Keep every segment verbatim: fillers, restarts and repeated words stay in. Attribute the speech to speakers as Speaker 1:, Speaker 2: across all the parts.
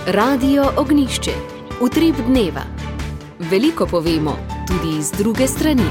Speaker 1: Radio Ognjišče. Utrip dneva. Veliko povemo, tudi iz druge strani.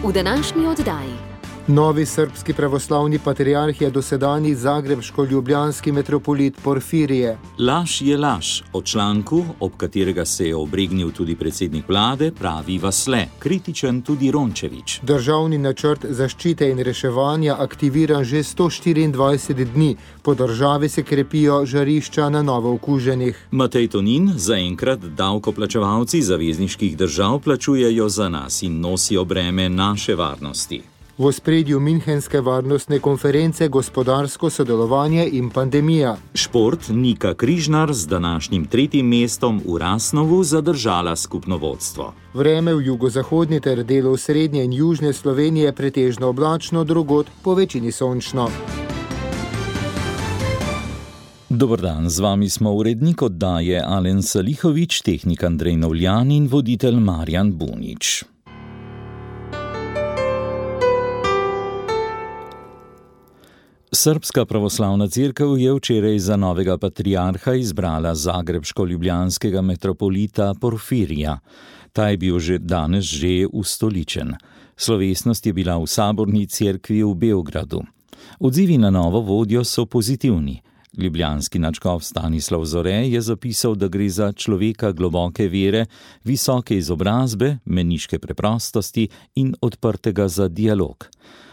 Speaker 1: V današnji oddaji.
Speaker 2: Novi srbski pravoslavni patriarh je dosedanji zagrebško-ljubljanski metropolit Porfirije.
Speaker 3: Laž je laž. O članku, ob katerega se je obregnil tudi predsednik vlade, pravi Vasle, kritičen tudi Rončević.
Speaker 2: Državni načrt zaščite in reševanja aktiviran že sto štiriindvajset dni. Po državi se krepijo žarišča na novo okuženih.
Speaker 3: Matej Tonin, zaenkrat davkoplačevalci zavezniških držav plačujejo za nas in nosijo breme naše varnosti.
Speaker 2: V ospredju Münchenske varnostne konference gospodarsko sodelovanje in pandemija.
Speaker 3: Šport Nika Križnar z današnjim tretjim mestom v Rasnovu zadržala skupno vodstvo.
Speaker 2: Vreme v jugozahodni ter delu srednje in južne Slovenije pretežno oblačno, drugod po večini sončno.
Speaker 3: Dober dan, z vami smo urednik oddaje Alen Salihović, tehnik Andrej Novljan in voditelj Marjan Bunič. Srbska pravoslavna cerkev je včeraj za novega patriarha izbrala zagrebško-ljubljanskega metropolita Porfirija. Ta je bil že danes že ustoličen. Slovesnost je bila v saborni cerkvi v Beogradu. Odzivi na novo vodjo so pozitivni. Ljubljanski nadškof Stanislav Zore je zapisal, da gre za človeka globoke vere, visoke izobrazbe, meniške preprostosti in odprtega za dialog.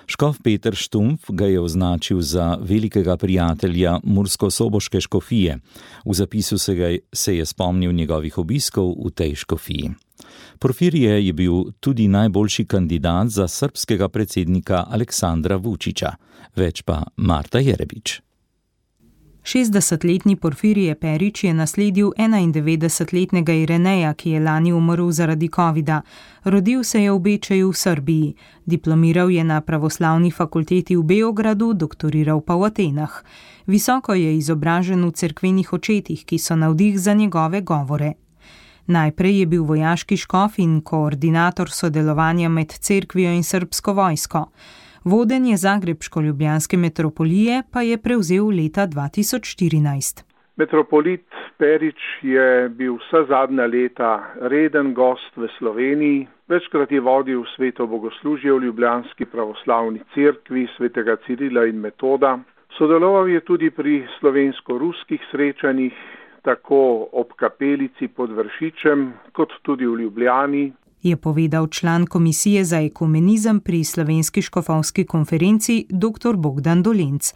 Speaker 3: Škof Peter Štumpf ga je označil za velikega prijatelja mursko-soboške škofije. V zapisu se, ga, se je spomnil njegovih obiskov v tej škofiji. Porfirije je bil tudi najboljši kandidat za srbskega predsednika Aleksandra Vučića. Več pa Marta Jerebič.
Speaker 4: šestdesetletni Porfirije Perić je nasledil enaindevetdesetletnega Ireneja, ki je lani umrl zaradi covida. Rodil se je v Bečeju v Srbiji. Diplomiral je na pravoslavni fakulteti v Beogradu, doktoriral pa v Atenah. Visoko je izobražen v cerkvenih očetih, ki so navdih za njegove govore. Najprej je bil vojaški škof in koordinator sodelovanja med cerkvijo in srbsko vojsko. Vodenje zagrebško-ljubljanske metropolije pa je prevzel leta dva tisoč štirinajst.
Speaker 5: Metropolit Perić je bil vsa zadnja leta reden gost v Sloveniji. Večkrat je vodil sveto bogoslužje v ljubljanski pravoslavni cerkvi svetega Cirila in Metoda. Sodeloval je tudi pri slovensko-ruskih srečanjih, tako ob kapelici pod Vršičem, kot tudi v Ljubljani,
Speaker 4: je povedal član komisije za ekumenizem pri Slovenski škofovski konferenci dr. Bogdan Dolenc.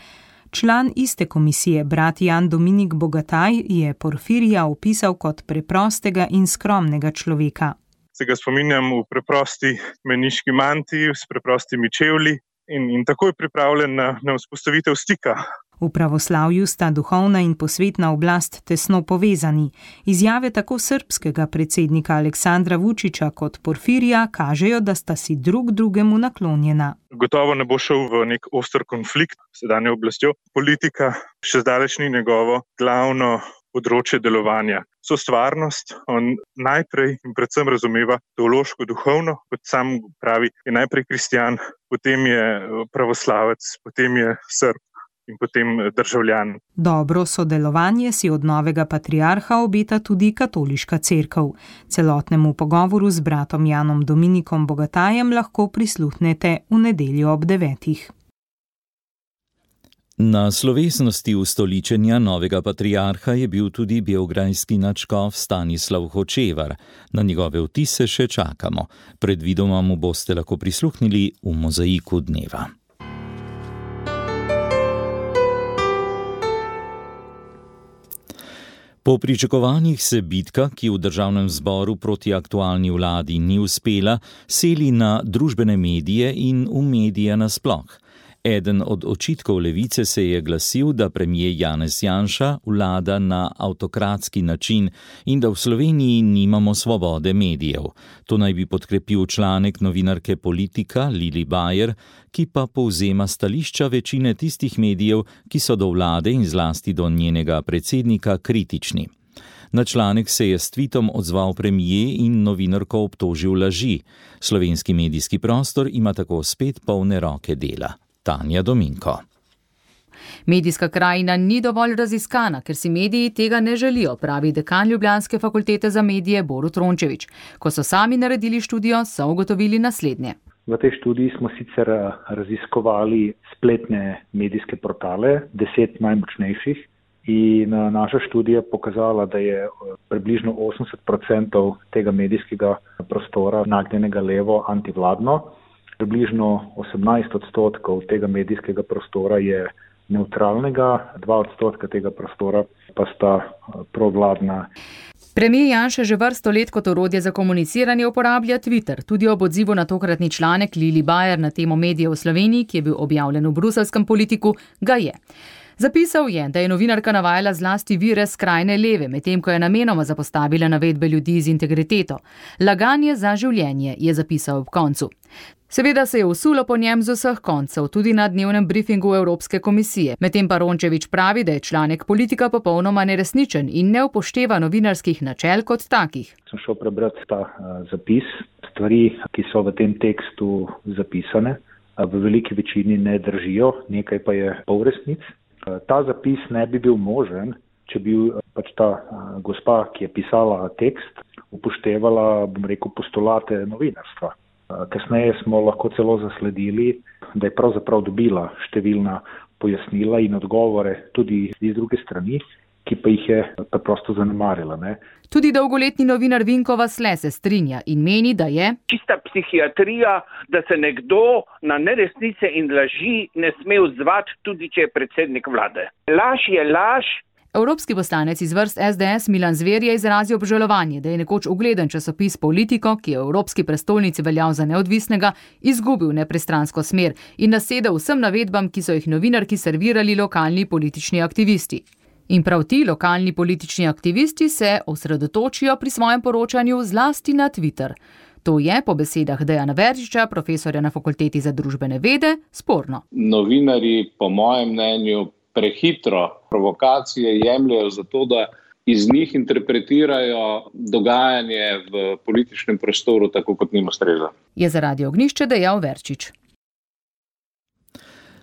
Speaker 4: Član iste komisije, brat Jan Dominik Bogataj, je Porfirija opisal kot preprostega in skromnega človeka.
Speaker 6: Se ga spominjam v preprosti meniški mantiji, s preprostimi čevlji in, in takoj pripravljen na, na vzpostavitev stika.
Speaker 4: V pravoslavju sta duhovna in posvetna oblast tesno povezani. Izjave tako srbskega predsednika Aleksandra Vučića kot Porfirija kažejo, da sta si drug drugemu naklonjena.
Speaker 6: Gotovo ne bo šel v nek oster konflikt s sedanjo oblastjo. Politika še zdaleč ni njegovo glavno področje delovanja. Sostvarnost on najprej in predvsem razumeva teološko duhovno, kot sam pravi, je najprej kristjan, potem je pravoslavec, potem je Srb in potem državljan.
Speaker 4: Dobro sodelovanje si od novega patriarha obeta tudi katoliška cerkev. Celotnemu pogovoru z bratom Janom Dominikom Bogatajem lahko prisluhnete v nedeljo ob devetih.
Speaker 3: Na slovesnosti ustoličenja novega patriarha je bil tudi beograjski nadškof Stanislav Hočevar. Na njegove vtise še čakamo. Predvidoma mu boste lahko prisluhnili v mozaiku dneva. Po pričakovanjih se bitka, ki v državnem zboru proti aktualni vladi ni uspela, seli na družbene medije in v medije nasploh. Eden od očitkov levice se je glasil, da premier Janez Janša vlada na avtokratski način in da v Sloveniji nimamo svobode medijev. To naj bi podkrepil članek novinarke Politika Lili Bajer, ki pa povzema stališča večine tistih medijev, ki so do vlade in zlasti do njenega predsednika kritični. Na članek se je s tvitom odzval premier in novinarko obtožil laži. Slovenski medijski prostor ima tako spet polne roke dela. Tanja Dominko.
Speaker 7: Medijska krajina ni dovolj raziskana, ker si mediji tega ne želijo, pravi dekan Ljubljanske fakultete za medije Borut Rončević. Ko so sami naredili študijo, so ugotovili naslednje.
Speaker 8: V tej študiji smo sicer raziskovali spletne medijske portale, deset najmočnejših, in naša študija pokazala, da je približno osemdeset odstotkov tega medijskega prostora nagnjenega levo antivladno, približno osemnajst odstotkov tega medijskega prostora je neutralnega, dva odstotka tega prostora pa sta provladna.
Speaker 7: Premijer Janša že vrsto let kot orodje za komuniciranje uporablja Twitter. Tudi ob odzivu na tokratni članek Lili Bajer na temo medijev v Sloveniji, ki je bil objavljen v bruseljskem Politiku, ga je. Zapisal je, da je novinarka navajala zlasti vire skrajne leve, medtem ko je namenoma zapostavila navedbe ljudi z integriteto. Laganje za življenje, je zapisal ob koncu. Seveda se je usulo po njem z vseh koncev, tudi na dnevnem briefingu Evropske komisije. Medtem pa Rončević pravi, da je članek Politika popolnoma neresničen in ne upošteva novinarskih načel kot takih.
Speaker 8: Sem šel prebrati ta uh, zapis. Stvari, ki so v tem tekstu zapisane, v veliki večini ne držijo, nekaj pa je polresnic. Ta zapis ne bi bil možen, če bi pač ta gospa, ki je pisala tekst, upoštevala, bom rekel, postulate novinarstva. Kasneje smo lahko celo zasledili, da je pravzaprav dobila številna pojasnila in odgovore tudi iz druge strani, ki pa jih je preprosto zanemarila. Ne?
Speaker 7: Tudi dolgoletni novinar Vinko Vasle se strinja in meni, da je
Speaker 9: čista psihiatrija, da se nekdo na neresnice in laži ne sme odzvati, tudi če je predsednik vlade. Laž je laž.
Speaker 7: Evropski poslanec iz vrst es de es Milan Zver je izrazil obžalovanje, da je nekoč ugleden časopis Politiko, ki je v evropski prestolnici veljal za neodvisnega, izgubil nepristransko smer in nasedel vsem navedbam, ki so jih novinarki servirali lokalni politični aktivisti. In prav ti lokalni politični aktivisti se osredotočijo pri svojem poročanju zlasti na Twitter. To je, po besedah Dejana Veržiča, profesorja na Fakulteti za družbene vede, sporno.
Speaker 10: Novinarji, po mojem mnenju, prehitro provokacije jemljajo zato, da iz njih interpretirajo dogajanje v političnem prostoru tako, kot njim ustreza.
Speaker 7: Je za Radio Ognjišče dejal Verčič.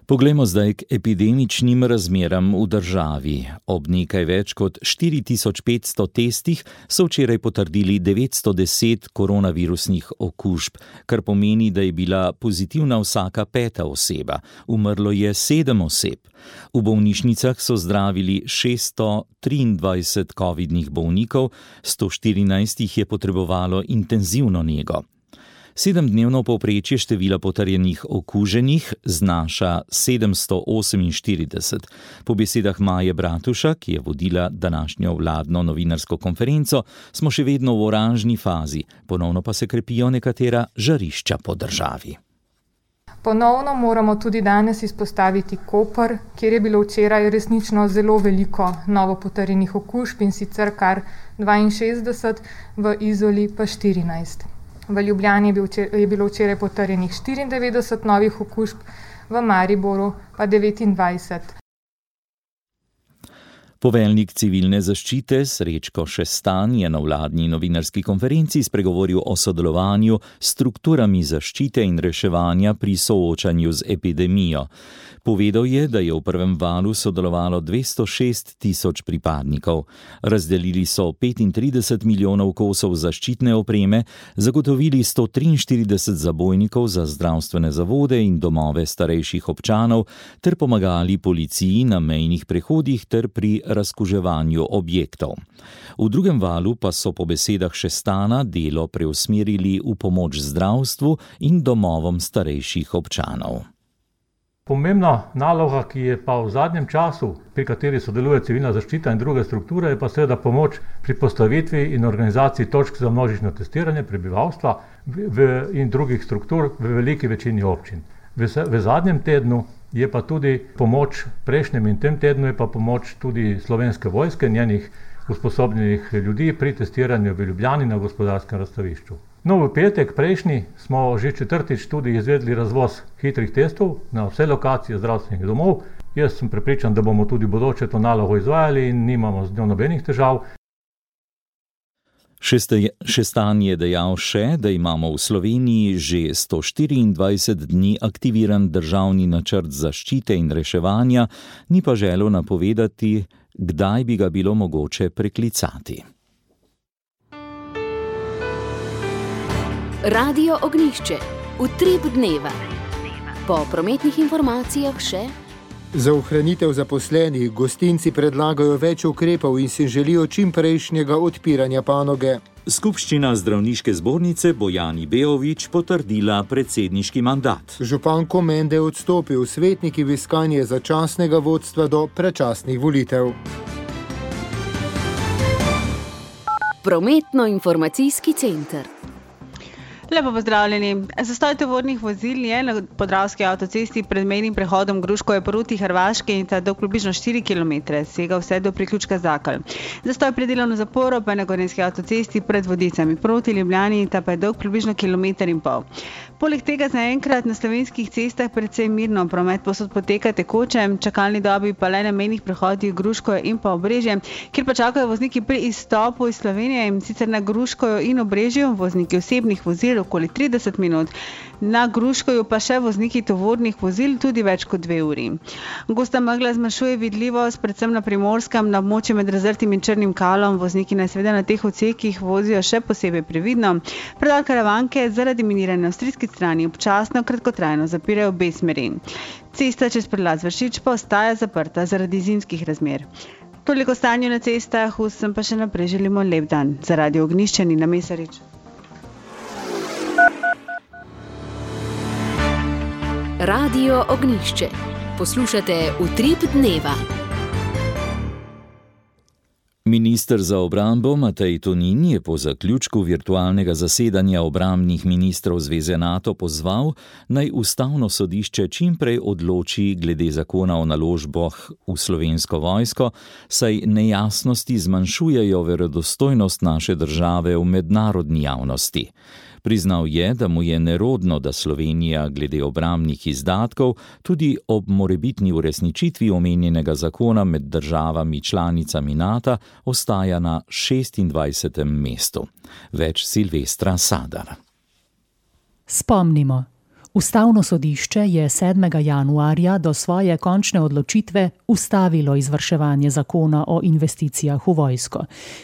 Speaker 3: Poglejmo zdaj k epidemičnim razmeram v državi. Ob nekaj več kot štiri tisoč petsto testih so včeraj potrdili devetsto deset koronavirusnih okužb, kar pomeni, da je bila pozitivna vsaka peta oseba. Umrlo je sedem oseb. V bolnišnicah so zdravili šeststo triindvajset covidnih bolnikov, sto štirinajst jih je potrebovalo intenzivno nego. Sedemdnevno povprečje števila potrjenih okuženih znaša sedemsto oseminštirideset. Po besedah Maje Bratuša, ki je vodila današnjo vladno novinarsko konferenco, smo še vedno v oranžni fazi, ponovno pa se krepijo nekatera žarišča po državi.
Speaker 11: Ponovno moramo tudi danes izpostaviti Koper, kjer je bilo včeraj resnično zelo veliko novo potrjenih okužb in sicer kar dvainšestdeset, v Izoli pa štirinajst. V Ljubljani je bilo včeraj potrjenih štiriindevetdeset novih okužb, v Mariboru pa devetindvajset.
Speaker 3: Poveljnik civilne zaščite Srečko Šestan je na vladni novinarski konferenci spregovoril o sodelovanju s strukturami zaščite in reševanja pri soočanju z epidemijo. Povedal je, da je v prvem valu sodelovalo dvesto šest tisoč pripadnikov. Razdelili so petintrideset milijonov kosov zaščitne opreme, zagotovili sto triinštirideset zabojnikov za zdravstvene zavode in domove starejših občanov ter pomagali policiji na mejnih prehodih ter pri razkuževanju objektov. V drugem valu pa so po besedah Šestana delo preusmerili v pomoč zdravstvu in domovom starejših občanov.
Speaker 12: Pomembna naloga, ki je pa v zadnjem času, pri kateri sodeluje civilna zaščita in druge strukture, je pa seveda pomoč pri postavitvi in organizaciji točk za množično testiranje prebivalstva v, in drugih struktur v veliki večini občin. V, v zadnjem tednu je pa tudi pomoč, prejšnjem in tem tednu je pa pomoč tudi Slovenske vojske, njenih usposobljenih ljudi pri testiranju v Ljubljani na gospodarskem razstavišču. No, v petek prejšnji smo že četrtič tudi izvedli razvoz hitrih testov na vse lokacije zdravstvenih domov. Jaz sem prepričan, da bomo tudi bodoče to nalogo izvajali in nimamo z njo nobenih težav.
Speaker 3: Šestan je dejal še, da imamo v Sloveniji že sto štiriindvajset dni aktiviran državni načrt zaščite in reševanja, ni pa želel napovedati, kdaj bi ga bilo mogoče preklicati.
Speaker 1: Radio Ognjišče, utrip dneva. Po prometnih informacijah še.
Speaker 2: Za ohranitev zaposlenih gostinci predlagajo več ukrepov in si želijo čim prejšnjega odpiranja panoge.
Speaker 3: Skupščina zdravniške zbornice Bojani Beovič potrdila predsedniški mandat.
Speaker 2: Župan Komende je odstopil, svetniki v iskanje začasnega vodstva do predčasnih volitev.
Speaker 1: Prometno-informacijski center.
Speaker 13: Lepo pozdravljeni. Zastoj tovornih vozil je na Podravski avtocesti pred mejnim prehodom Gruškovje proti Hrvaški in ta dolg približno štiri kilometre, sega vse do priključka Zakal. Zastoj pred delovno zaporo pa je na Gorenjski avtocesti pred Vodicami proti Ljubljani in ta pa je dolg približno kilometer in pol. Poleg tega zaenkrat na slovenskih cestah precej mirno, promet posod poteka tekoče, čakalni dobi pa le na mejnih prehodih Gruškovje in pa Obrežje, kjer pa čakajo vozniki pri izstopu iz Slovenije in sicer na Gruškovju in Obrežju, vozniki osebnih vozil okoli trideset minut, na Gruškovju pa še vozniki tovornih vozil tudi več kot dve uri. Gosta megla zmanjšuje vidljivost, predvsem na Primorskem, na območju med Razrtim in Črnim Kalom, vozniki naj seveda na teh odsekih vozijo še posebej previdno. Predal Karavanke zaradi miniranja na avstrijski strani občasno kratkotrajno zapirajo obe smeri. Cesta čez prelaz Vršič pa ostaja zaprta zaradi zimskih razmer. Toliko stanju na cestah, vsem pa še naprej želimo lep dan. Za Radio Ognjišče Nina Mesarič.
Speaker 1: Radio Ognjišče. Poslušate utrip dneva.
Speaker 3: Minister za obrambo Matej Tonin je po zaključku virtualnega zasedanja obrambnih ministrov Zveze NATO pozval, naj ustavno sodišče čim prej odloči glede zakona o naložbah v Slovensko vojsko, saj nejasnosti zmanjšujejo verodostojnost naše države v mednarodni javnosti. Priznal je, da mu je nerodno, da Slovenija glede obrambnih izdatkov tudi ob morebitni uresničitvi omenjenega zakona med državami članicami NATO ostaja na šestindvajsetem mestu. Več Silvestra Sadar.
Speaker 14: Spomnimo. Ustavno sodišče je sedmega januarja do svoje končne odločitve ustavilo izvrševanje zakona o investicijah v vojsko.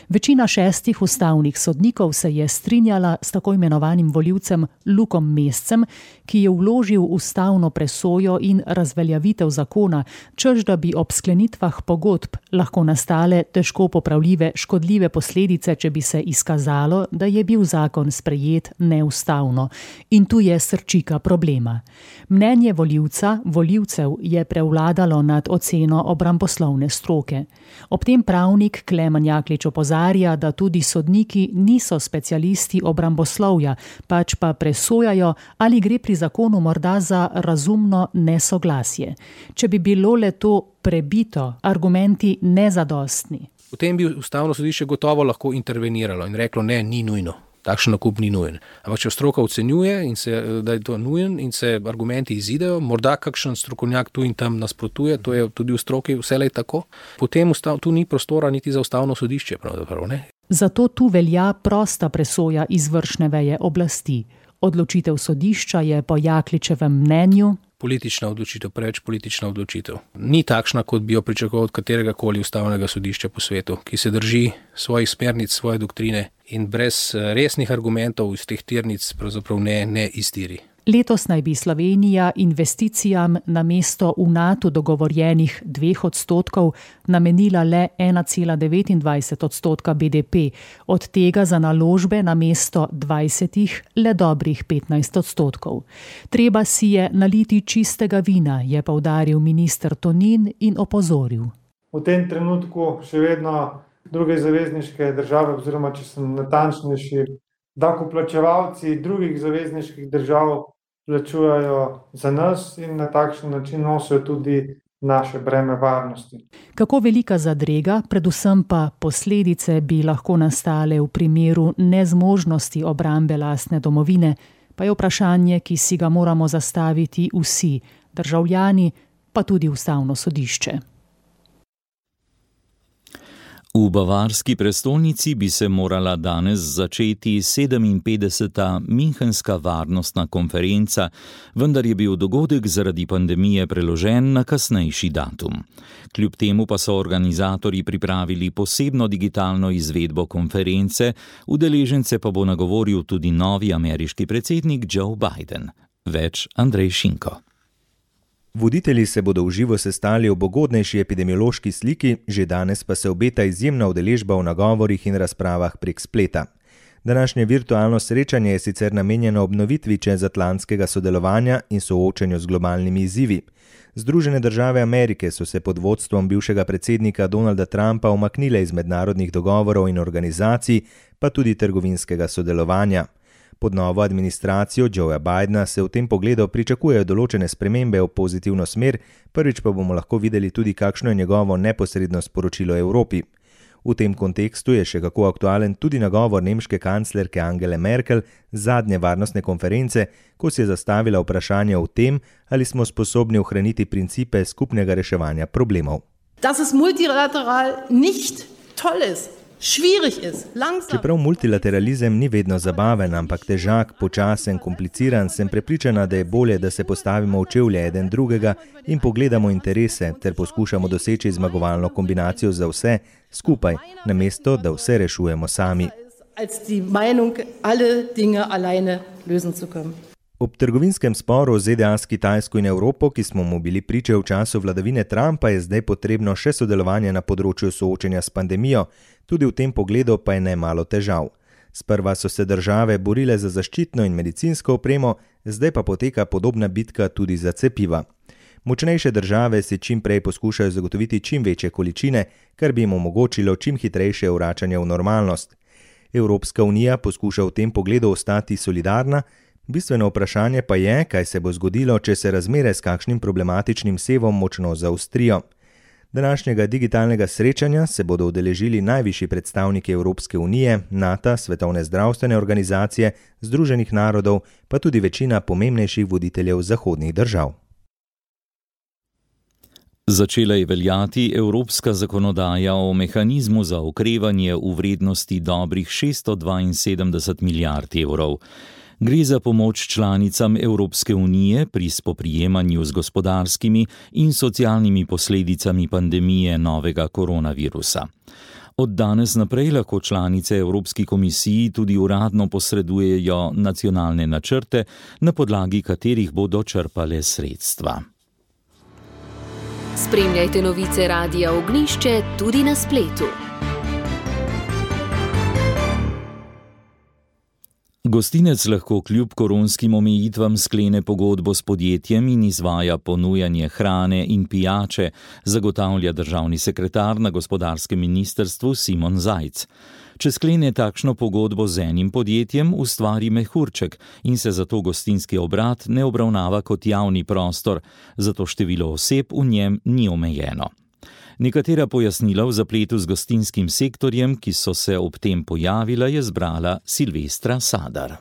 Speaker 14: Večina šestih ustavnih sodnikov se je strinjala s tako imenovanim volivcem Lukom Mescem, ki je vložil ustavno presojo in razveljavitev zakona, čež da bi ob sklenitvah pogodb lahko nastale težko popravljive škodljive posledice, če bi se izkazalo, da je bil zakon sprejet neustavno. In tu je srčika problema. Problema. Mnenje volivca, volivcev je prevladalo nad oceno obramboslovne stroke. Ob tem pravnik Klemen Jaklič opozarja, da tudi sodniki niso specialisti obramboslovja, pač pa presojajo, ali gre pri zakonu morda za razumno nesoglasje. Če bi bilo le to prebito, argumenti nezadostni.
Speaker 15: V tem bi ustavno sodišče gotovo lahko interveniralo in reklo, ne, ni nujno. Takšen nakup ni nujen. Ampak če stroka ocenjuje, in se, da je to nujen in se argumenti izidejo, morda kakšen strokovnjak tu in tam nasprotuje, to je tudi v stroki vselej tako, potem ustav, tu ni prostora niti za ustavno sodišče. Pravzaprav, ne?
Speaker 14: Zato tu velja prosta presoja izvršne veje oblasti. Odločitev sodišča je po Jakličevem mnenju
Speaker 15: politična odločitev, preveč politična odločitev. Ni takšna, kot bi jo pričakoval od katerega koli ustavnega sodišča po svetu, ki se drži svojih smernic, svoje doktrine in brez resnih argumentov iz teh tirnic pravzaprav ne, ne iztiri.
Speaker 14: Letos naj bi Slovenija investicijam namesto v NATO dogovorjenih dveh odstotkov namenila le ena cela devetindvajset odstotka B D P, od tega za naložbe namesto dvajsetih le dobrih petnajst odstotkov. Treba si je naliti čistega vina, je poudaril minister Tonin in opozoril.
Speaker 16: V tem trenutku še vedno druge zavezniške države, oziroma če sem natančnejši, davkoplačevalci drugih zavezniških držav plačujejo za nas in na takšen način nosijo tudi naše breme varnosti.
Speaker 14: Kako velika zadrega, predvsem pa posledice bi lahko nastale v primeru nezmožnosti obrambe lastne domovine, pa je vprašanje, ki si ga moramo zastaviti vsi, državljani, pa tudi ustavno sodišče.
Speaker 3: V bavarski prestolnici bi se morala danes začeti sedeminpetdeseta Münchenska varnostna konferenca, vendar je bil dogodek zaradi pandemije preložen na kasnejši datum. Kljub temu pa so organizatorji pripravili posebno digitalno izvedbo konference, udeležence pa bo nagovoril tudi novi ameriški predsednik Joe Biden. Več Andrej Šinko.
Speaker 17: Voditelji se bodo v živo sestali ob ugodnejši epidemiološki sliki, že danes pa se obeta izjemna udeležba v nagovorih in razpravah prek spleta. Današnje virtualno srečanje je sicer namenjeno obnovitvi čezatlantskega sodelovanja in soočanju z globalnimi izzivi. Združene države Amerike so se pod vodstvom bivšega predsednika Donalda Trumpa umaknile iz mednarodnih dogovorov in organizacij, pa tudi trgovinskega sodelovanja. Pod novo administracijo Joea Bidena se v tem pogledu pričakujejo določene spremembe v pozitivno smer, prvič pa bomo lahko videli tudi, kakšno je njegovo neposredno sporočilo Evropi. V tem kontekstu je še kako aktualen tudi nagovor nemške kanclerke Angele Merkel z zadnje varnostne konference, ko si je zastavila vprašanje o tem, ali smo sposobni ohraniti principe skupnega reševanja problemov.
Speaker 18: Das ist multilateral nicht toll ist.
Speaker 17: Čeprav multilateralizem ni vedno zabaven, ampak težak, počasen, kompliciran, sem prepričana, da je bolje, da se postavimo v čevlje eden drugega in pogledamo interese ter poskušamo doseči zmagovalno kombinacijo za vse skupaj, namesto da vse rešujemo sami. Ob trgovinskem sporu Z D A s Kitajsko in Evropo, ki smo mu bili priče v času vladavine Trumpa, je zdaj potrebno še sodelovanje na področju soočenja s pandemijo, tudi v tem pogledu pa je nemalo težav. Sprva so se države borile za zaščitno in medicinsko opremo, zdaj pa poteka podobna bitka tudi za cepiva. Močnejše države si čim prej poskušajo zagotoviti čim večje količine, kar bi jim omogočilo čim hitrejše vračanje v normalnost. Evropska unija poskuša v tem pogledu ostati solidarna, bistveno vprašanje pa je, kaj se bo zgodilo, če se razmere s kakšnim problematičnim sevom močno zaostrijo. Današnjega digitalnega srečanja se bodo udeležili najvišji predstavniki Evropske unije, NATO, Svetovne zdravstvene organizacije, Združenih narodov, pa tudi večina pomembnejših voditeljev zahodnih držav.
Speaker 3: Začela je veljati evropska zakonodaja o mehanizmu za okrevanje v vrednosti dobrih šeststo dvainsedemdeset milijard evrov. Gre za pomoč članicam Evropske unije pri spoprijemanju z gospodarskimi in socialnimi posledicami pandemije novega koronavirusa. Od danes naprej lahko članice Evropski komisiji tudi uradno posredujejo nacionalne načrte, na podlagi katerih bodo črpale sredstva.
Speaker 1: Spremljajte novice Radia Ognjišče tudi na spletu.
Speaker 3: Gostinec lahko kljub koronskim omejitvam sklene pogodbo s podjetjem in izvaja ponujanje hrane in pijače, zagotavlja državni sekretar na gospodarskem ministrstvu Simon Zajc. Če sklene takšno pogodbo z enim podjetjem, ustvari mehurček in se zato gostinski obrat ne obravnava kot javni prostor, zato število oseb v njem ni omejeno. Nekatera pojasnila v zapletu z gostinskim sektorjem, ki so se ob tem pojavila, je zbrala Silvestra Sadar.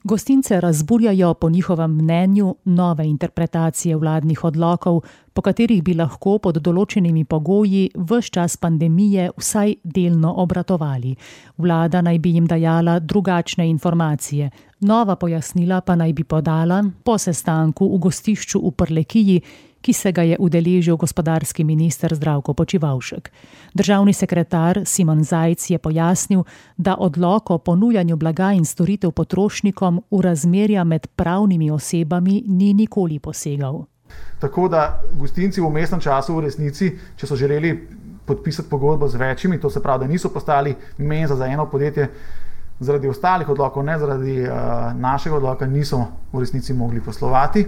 Speaker 14: Gostince razburjajo po njihovem mnenju nove interpretacije vladnih odlokov, po katerih bi lahko pod določenimi pogoji ves čas pandemije vsaj delno obratovali. Vlada naj bi jim dajala drugačne informacije. Nova pojasnila pa naj bi podala po sestanku v gostišču v Prlekiji, ki se ga je udeležil gospodarski minister Zdravko Počivalšek. Državni sekretar Simon Zajc je pojasnil, da odlok o ponujanju blaga in storitev potrošnikom v razmerja med pravnimi osebami ni nikoli posegal.
Speaker 19: Tako da gostinci v vmesnem času v resnici, če so želeli podpisati pogodbo z večjimi, to se pravi, da niso postali menza za eno podjetje, zaradi ostalih odlokov, ne zaradi uh, našega odloka, niso v resnici mogli poslovati.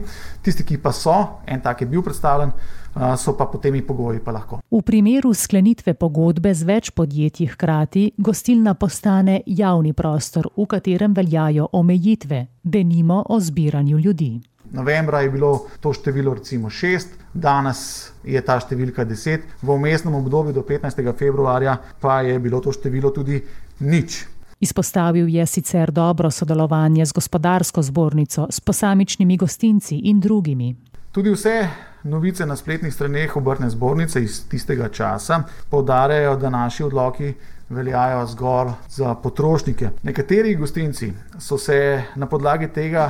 Speaker 19: Tisti, ki pa so, en tak je bil predstavljen, uh, so pa pod temi pogoji pa lahko.
Speaker 14: V primeru sklenitve pogodbe z več podjetji hkrati, gostilna postane javni prostor, v katerem veljajo omejitve, denimo o zbiranju ljudi.
Speaker 19: Novembra je bilo to število recimo šest, danes je ta številka deset, v vmesnem obdobju do petnajstega februarja pa je bilo to število tudi nič.
Speaker 14: Izpostavil je sicer dobro sodelovanje z gospodarsko zbornico, s posamičnimi gostinci in drugimi.
Speaker 19: Tudi vse novice na spletnih straneh Obrtne zbornice iz tistega časa poudarjajo, da naši odloki veljajo zgolj za potrošnike. Nekateri gostinci so se na podlagi tega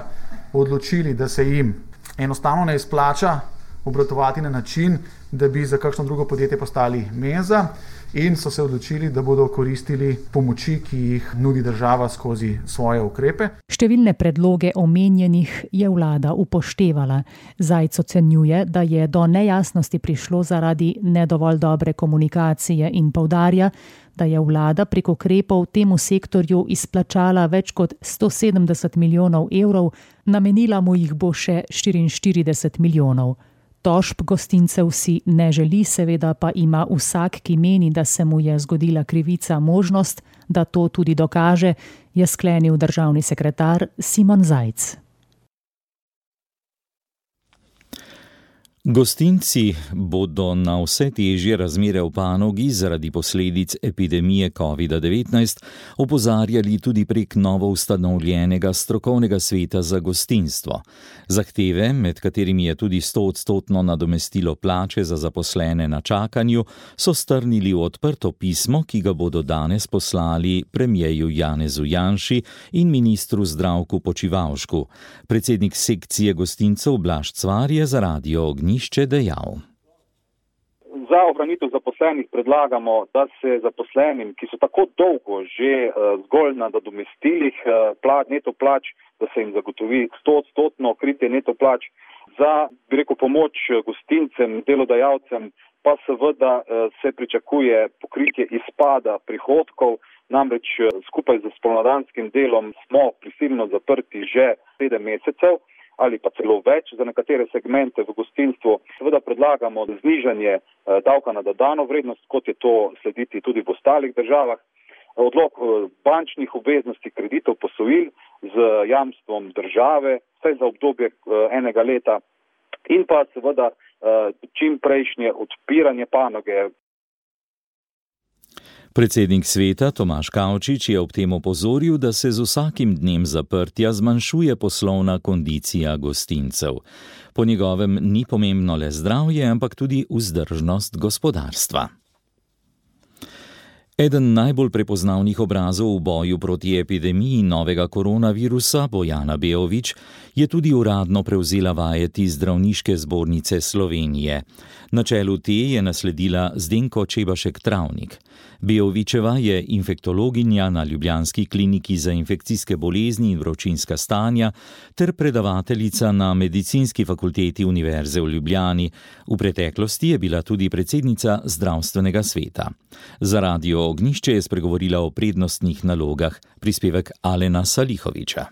Speaker 19: odločili, da se jim enostavno ne izplača obratovati na način, da bi za kakšno drugo podjetje postali menza, in so se odločili, da bodo koristili pomoči, ki jih nudi država skozi svoje ukrepe.
Speaker 14: Številne predloge omenjenih je vlada upoštevala. Zajc ocenjuje, da je do nejasnosti prišlo zaradi nedovolj dobre komunikacije in poudarja, da je vlada prek ukrepov temu sektorju izplačala več kot sto sedemdeset milijonov evrov, namenila mu jih bo še štiriinštirideset milijonov. Tožb gostincev si ne želi, seveda pa ima vsak, ki meni, da se mu je zgodila krivica, možnost, da to tudi dokaže, je sklenil državni sekretar Simon Zajc.
Speaker 3: Gostinci bodo na vse težje razmere v panogi zaradi posledic epidemije covid devetnajst opozarjali tudi prek novo ustanovljenega strokovnega sveta za gostinstvo. Zahteve, med katerimi je tudi stoodstotno nadomestilo plače za zaposlene na čakanju, so strnili v odprto pismo, ki ga bodo danes poslali premierju Janezu Janši in ministru Zdravku Počivalšku. Predsednik sekcije gostincev Blaž Cvar je za Radio Ognjišče dejal.
Speaker 20: Za ohranitev zaposlenih predlagamo, da se zaposlenim, ki so tako dolgo že zgolj na nadomestilih neto plač, da se jim zagotovi stoodstotno kritje neto plač, za, bi rekel, pomoč gostincem, delodajalcem, pa seveda se pričakuje pokritje izpada prihodkov, namreč skupaj z spomladanskim delom smo prisilno zaprti že sedem mesecev ali pa celo več za nekatere segmente v gostinstvu. Seveda predlagamo znižanje davka na dodano vrednost, kot je to slediti tudi v ostalih državah, odlog bančnih obveznosti, kreditov, posojil z jamstvom države, vsaj za obdobje enega leta, in pa seveda čim prejšnje odpiranje panoge.
Speaker 3: Predsednik sveta Tomaž Kavčič je ob tem opozoril, da se z vsakim dnem zaprtja zmanjšuje poslovna kondicija gostincev. Po njegovem ni pomembno le zdravje, ampak tudi vzdržnost gospodarstva. Eden najbolj prepoznavnih obrazov v boju proti epidemiji novega koronavirusa, Bojana Beović, je tudi uradno prevzela vajeti Zdravniške zbornice Slovenije. Na čelu te je nasledila Zdenko Čebašek Travnik. Beovićeva je infektologinja na ljubljanski kliniki za infekcijske bolezni in vročinska stanja ter predavateljica na medicinski fakulteti Univerze v Ljubljani. V preteklosti je bila tudi predsednica zdravstvenega sveta. Za Radio Ognjišče je spregovorila o prednostnih nalogah, prispevek Alena Salihoviča.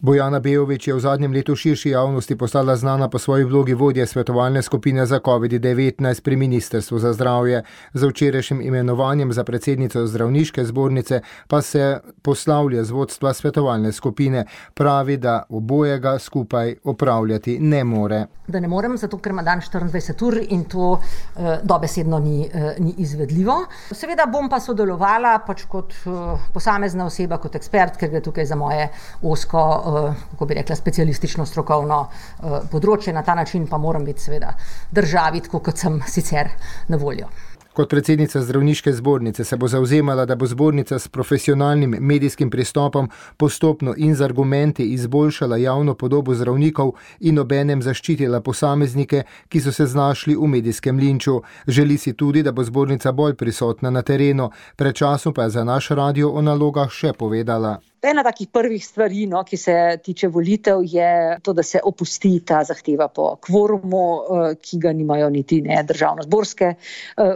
Speaker 2: Bojana Beović je v zadnjem letu širši javnosti postala znana po svoji vlogi vodje svetovalne skupine za covid devetnajst pri Ministrstvu za zdravje. Za včerajšnjim imenovanjem za predsednico Zdravniške zbornice pa se poslavlja z vodstva svetovalne skupine. Pravi, da obojega skupaj opravljati ne more.
Speaker 21: Da ne morem, zato ker ima dan štiriindvajset ur in to eh, dobesedno ni, eh, ni izvedljivo. Seveda bom pa sodelovala pač kot eh, posamezna oseba, kot ekspert, ker gre tukaj za moje osko, eh, kako bi rekla, specialistično strokovno eh, področje. Na ta način pa moram biti seveda državi, tako kot sem sicer na voljo.
Speaker 2: Kot predsednica Zdravniške zbornice se bo zavzemala, da bo zbornica s profesionalnim medijskim pristopom postopno in z argumenti izboljšala javno podobo zdravnikov in obenem zaščitila posameznike, ki so se znašli v medijskem linču. Želi si tudi, da bo zbornica bolj prisotna na terenu. Pred časom pa je za naš radio o nalogah še povedala.
Speaker 22: Ena takih prvih stvari, no, ki se tiče volitev, je to, da se opusti ta zahteva po kvorumu, ki ga nimajo niti ne državno-zborske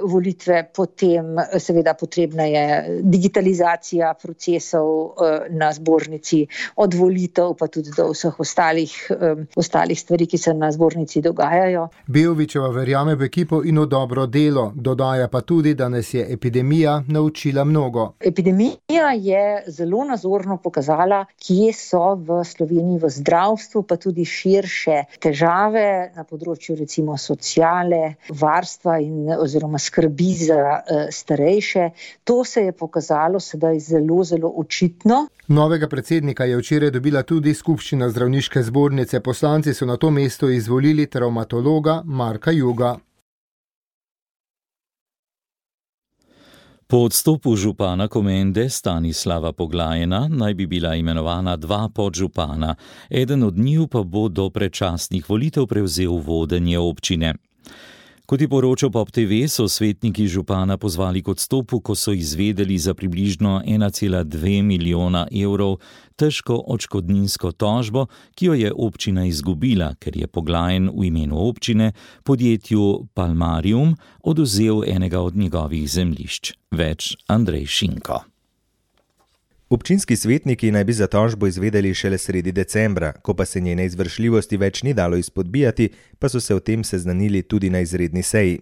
Speaker 22: volitve. Potem seveda potrebna je digitalizacija procesov na zbornici, od volitev pa tudi do vseh ostalih, ostalih stvari, ki se na zbornici dogajajo.
Speaker 2: Beovićeva verjame v ekipo in v dobro delo. Dodaja pa tudi, da nas je epidemija naučila mnogo.
Speaker 22: Epidemija je zelo nazorno enostavno pokazala, kje so v Sloveniji v zdravstvu, pa tudi širše težave na področju recimo sociale, varstva in oziroma skrbi za uh, starejše. To se je pokazalo sedaj zelo, zelo očitno.
Speaker 2: Novega predsednika je včeraj dobila tudi skupščina zdravniške zbornice. Poslanci so na to mesto izvolili travmatologa Marka Juga.
Speaker 3: Po odstopu župana Komende Stanislava Poglajena naj bi bila imenovana dva podžupana. Eden od njiju pa bo do predčasnih volitev prevzel vodenje občine. Kot je poročal Pop T V, so svetniki župana pozvali k odstopu, ko so izvedeli za približno ena cela dve milijona evrov težko odškodninsko tožbo, ki jo je občina izgubila, ker je Poglajen v imenu občine podjetju Palmarium odvzel enega od njegovih zemljišč. Več Andrej Šinko.
Speaker 17: Občinski svetniki naj bi za tožbo izvedeli šele sredi decembra, ko pa se njene izvršljivosti več ni dalo izpodbijati, pa so se o tem seznanili tudi na izredni seji.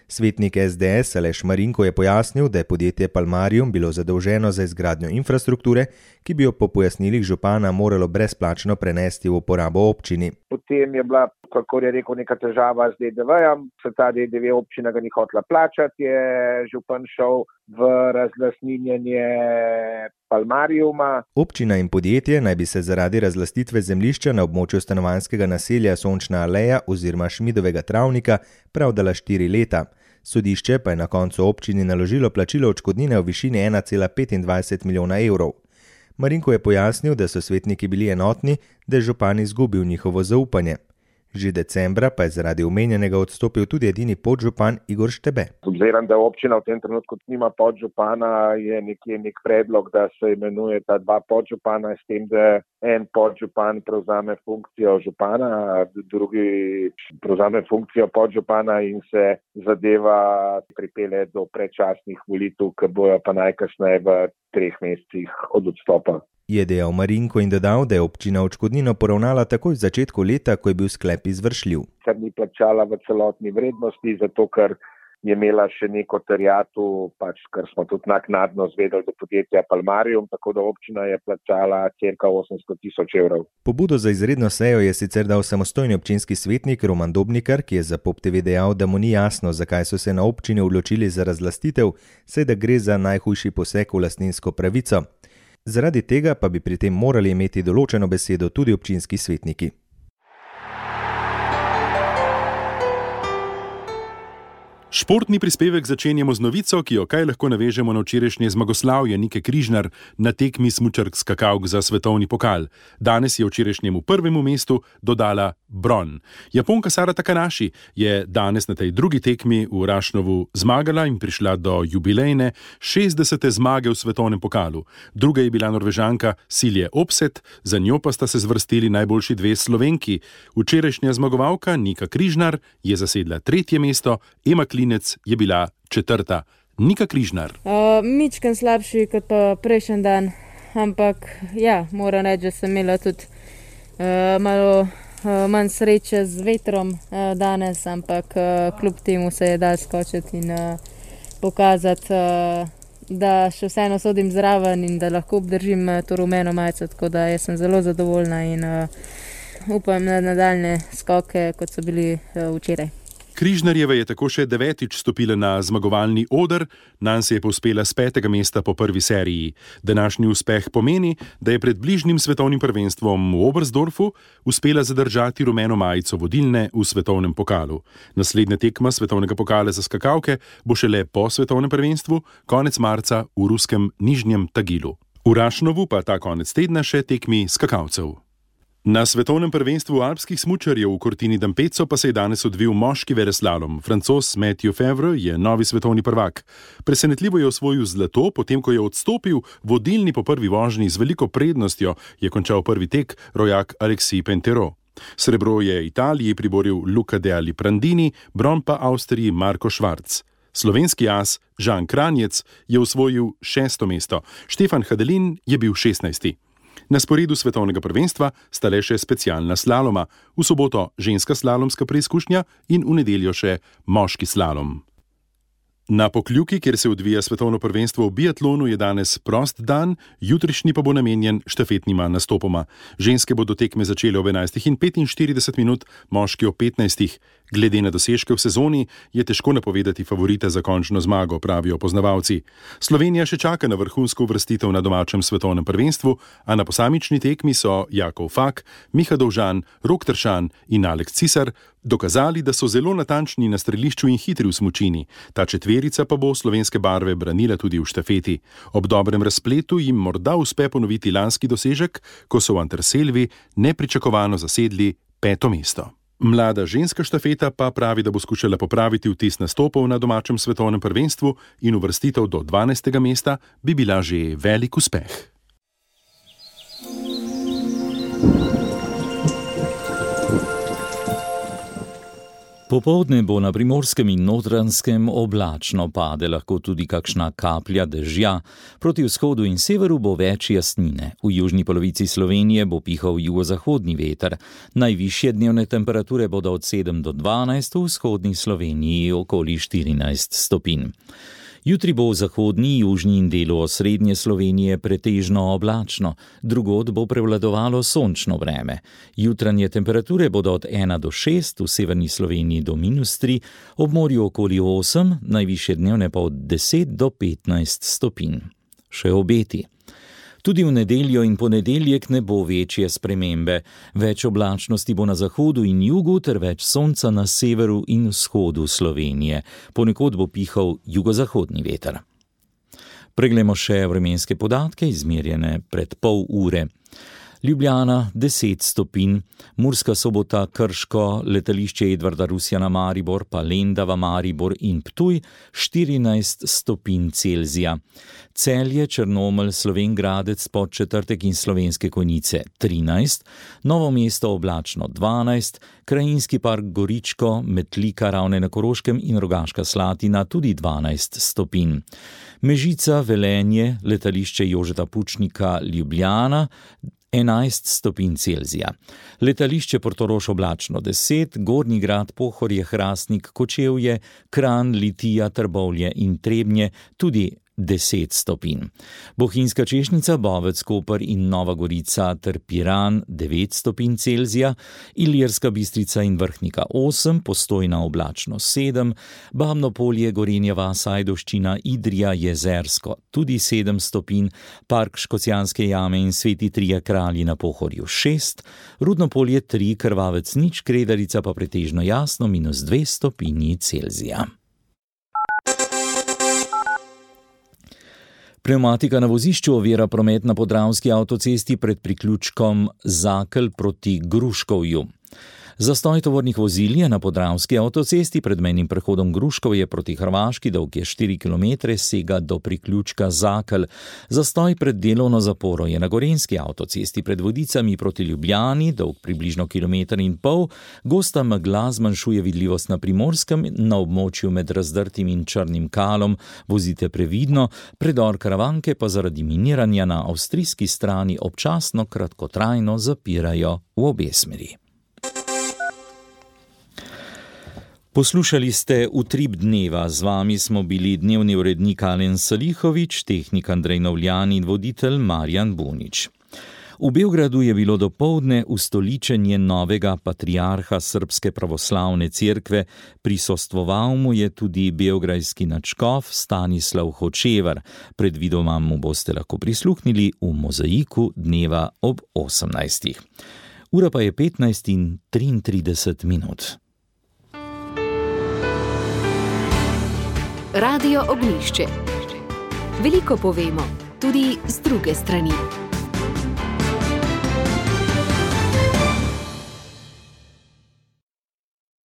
Speaker 17: Svetnik S D S Aleš Marinko je pojasnil, da je podjetje Palmarium bilo zadolženo za izgradnjo infrastrukture, ki bi jo po pojasnilih župana moralo brezplačno prenesti v uporabo občini.
Speaker 5: Potem je bila, kako je rekel, neka težava z D D V-jem, se ta D D V občina ga ni hotela plačati, je župan šel v razlastninjenje Palmariuma.
Speaker 17: Občina in podjetje naj bi se zaradi razlastitve zemljišča na območju stanovanjskega naselja Sončna aleja oziroma Šmidovega travnika pravdala štiri leta. Sodišče pa je na koncu občini naložilo plačilo odškodnine v višini ena cela petindvajset milijona evrov. Marinko je pojasnil, da so svetniki bili enotni, da je župan izgubil njihovo zaupanje. Že decembra pa je zaradi omenjenega odstopil tudi edini podžupan Igor Štebe.
Speaker 5: Obzirom, da občina v tem trenutku nima podžupana, je nekje nek predlog, da se imenuje ta dva podžupana, s tem, da en podžupan prevzame funkcijo župana, drugi prevzame funkcijo podžupana in se zadeva pripelje do predčasnih volitev, ki bojo pa najkasneje v treh mesecih od odstopa.
Speaker 17: Je dejal Marinko in dodal, da je občina odškodnino poravnala takoj v začetku leta, ko je bil sklep izvršljiv.
Speaker 5: Ker ni plačala v celotni vrednosti, zato ker je imela še neko terjatu, pač, kar smo tudi naknadno zvedeli do podjetja Palmarium, tako da občina je plačala cirka osemsto tisoč evrov.
Speaker 17: Pobudo za izredno sejo je sicer dal samostojni občinski svetnik Roman Dobnikar, ki je za Pop T V dejal, da mu ni jasno, zakaj so se na občini odločili za razlastitev, saj da gre za najhujši poseg v lastninsko pravico. Zaradi tega pa bi pri tem morali imeti določeno besedo tudi občinski svetniki.
Speaker 6: Športni prispevek začenjamo z novico, ki jo kaj lahko navežemo na včerajšnje zmagoslavje Nike Križnar na tekmi smučark skakavk za svetovni pokal. Danes je včerajšnjemu prvemu mestu dodala bron. Japonka Sara Takanashi je danes na tej drugi tekmi v Rašnovu zmagala in prišla do jubilejne šestdesete zmage v svetovnem pokalu. Druga je bila Norvežanka Silje Opset, za njo pa sta se zvrstili najboljši dve Slovenki. Včerajšnja zmagovalka Nika Križnar je zasedla tretje mesto, Ema Klinec je bila četrta. Nika Križnar.
Speaker 23: Uh, Mičken slabši kot pa prejšnji dan, ampak ja, moram reči, da sem imela tudi uh, malo uh, manj sreče z vetrom uh, danes, ampak uh, kljub temu se je dal skočiti in uh, pokazati, uh, da še vseeno sodim zraven in da lahko obdržim uh, to rumeno majico, tako da jaz sem zelo zadovoljna in uh, upam na nadaljne skoke, kot so bili uh, včeraj.
Speaker 6: Križnarjeva je tako še devetič stopila na zmagovalni oder, nanj se je povzpela s petega mesta po prvi seriji. Današnji uspeh pomeni, da je pred bližnjim svetovnim prvenstvom v Oberstdorfu uspela zadržati rumeno majico vodilne v svetovnem pokalu. Naslednja tekma svetovnega pokala za skakavke bo šele po svetovnem prvenstvu, konec marca v ruskem Nižnjem Tagilu. V Rašnovu pa ta konec tedna še tekmi skakalcev. Na svetovnem prvenstvu alpskih smučarjev v Cortini d'Ampezzo pa se je danes odvil moški veleslalom. Francoz Mathieu Fevre je novi svetovni prvak. Presenetljivo je osvojil zlato, potem ko je odstopil vodilni po prvi vožnji z veliko prednostjo, je končal prvi tek rojak Alexis Pentero. Srebro je Italiji priboril Luca de Aliprandini, bron pa Avstriji Marko Švarc. Slovenski as Žan Kranjec je osvojil šesto mesto, Štefan Hadelin je bil šestnajsti. Na sporedu svetovnega prvenstva sta le še specialna slaloma, v soboto ženska slalomska preizkušnja in v nedeljo še moški slalom. Na Pokljuki, kjer se odvija svetovno prvenstvo v biatlonu, je danes prost dan, jutrišnji pa bo namenjen štafetnima nastopoma. Ženske bodo tekme začele ob enajstih in petinštirideset minut, moški ob petnajstih. Glede na dosežke v sezoni je težko napovedati favorita za končno zmago, pravijo poznavalci. Slovenija še čaka na vrhunsko uvrstitev na domačem svetovnem prvenstvu, a na posamični tekmi so Jakov Fak, Miha Dovžan, Rok Tršan in Aleks Cisar dokazali, da so zelo natančni na strelišču in hitri v smučini. Ta četverica pa bo slovenske barve branila tudi v štafeti. Ob dobrem razpletu jim morda uspe ponoviti lanski dosežek, ko so v Anterselvi nepričakovano zasedli peto mesto. Mlada ženska štafeta pa pravi, da bo skušala popraviti vtis nastopov na domačem svetovnem prvenstvu in uvrstitev do dvanajstega mesta bi bila že velik uspeh.
Speaker 3: Popoldne bo na Primorskem in Notranjskem oblačno, pade lahko tudi kakšna kaplja dežja. Proti vzhodu in severu bo več jasnine. V južni polovici Slovenije bo pihal jugozahodni veter. Najvišje dnevne temperature bodo od sedem do dvanajst, v vzhodni Sloveniji okoli štirinajst stopinj. Jutri bo v zahodni, južni in delu osrednje Slovenije pretežno oblačno, drugod bo prevladovalo sončno vreme. Jutranje temperature bodo od ena do šest, v severni Sloveniji do minus tri, ob morju okoli osem, najvišje dnevne pa od deset do petnajst stopinj. Še obeti. Tudi v nedeljo in ponedeljek ne bo večje spremembe. Več oblačnosti bo na zahodu in jugu ter več sonca na severu in vzhodu Slovenije. Ponekod bo pihal jugozahodni veter. Preglejmo še vremenske podatke, izmerjene pred pol ure. Ljubljana deset stopinj, Murska Sobota, Krško, letališče Edvarda Rusjana Maribor, pa Lendava Maribor in Ptuj štirinajst stopinj Celzija. Celje, Črnomelj, Slovenj Gradec, Podčetrtek in Slovenske Konjice trinajst, Novo mesto oblačno dvanajst, Krajinski park Goričko, Metlika, Ravne na Koroškem in Rogaška Slatina tudi dvanajst stopinj. Mežica, Velenje, letališče Jožeta Pučnika, Ljubljana enajst stopinj Celzija. Letališče Portorož oblačno deset, Gornji Grad, Pohorje, Hrastnik, Kočevje, Kranj, Litija, Trbovlje in Trebnje tudi deset stopinj. Bohinjska Češnica, Bovec, Koper in Nova Gorica ter Piran devet stopinj Celzija, Ilirska Bistrica in Vrhnika osem, Postojna oblačno sedem, Babno Polje, Gorenja vas, Ajdovščina, Idrija, Jezersko tudi sedem stopinj, Park Škocjanske jame in Sveti Trije kralji na Pohorju šest, Rudno Polje tri, Krvavec nič, Kredarica pa pretežno jasno minus dve stopinji Celzija. Pnevmatika na vozišču ovira promet na Podravski avtocesti pred priključkom Zakelj proti Gruškovju. Zastoj tovornih vozil je na Podravski avtocesti pred mejnim prehodom Gruškovje proti Hrvaški, dolg je štiri kilometre, sega do priključka Zakelj. Zastoj pred delovno zaporo je na Gorenjski avtocesti pred Vodicami proti Ljubljani, dolg približno kilometer in pol. Gosta megla zmanjšuje vidljivost na Primorskem, na območju med Razdrtim in Črnim Kalom vozite previdno, predor Karavanke pa zaradi miniranja na avstrijski strani občasno kratkotrajno zapirajo v obe smeri. Poslušali ste Utrip dneva, z vami smo bili dnevni urednik Alen Salihovič, tehnik Andrej Novljan in voditelj Marjan Bunič. V Beogradu je bilo dopoldne ustoličenje novega patriarha Srpske pravoslavne cerkve, prisostvoval mu je tudi beograjski nadškof Stanislav Hočevar. Predvidoma mu boste lahko prisluhnili v mozaiku dneva ob osemnajstih. Ura pa je petnajst in triintrideset minut.
Speaker 1: Radio Ognjišče. Veliko povemo, tudi z druge strani.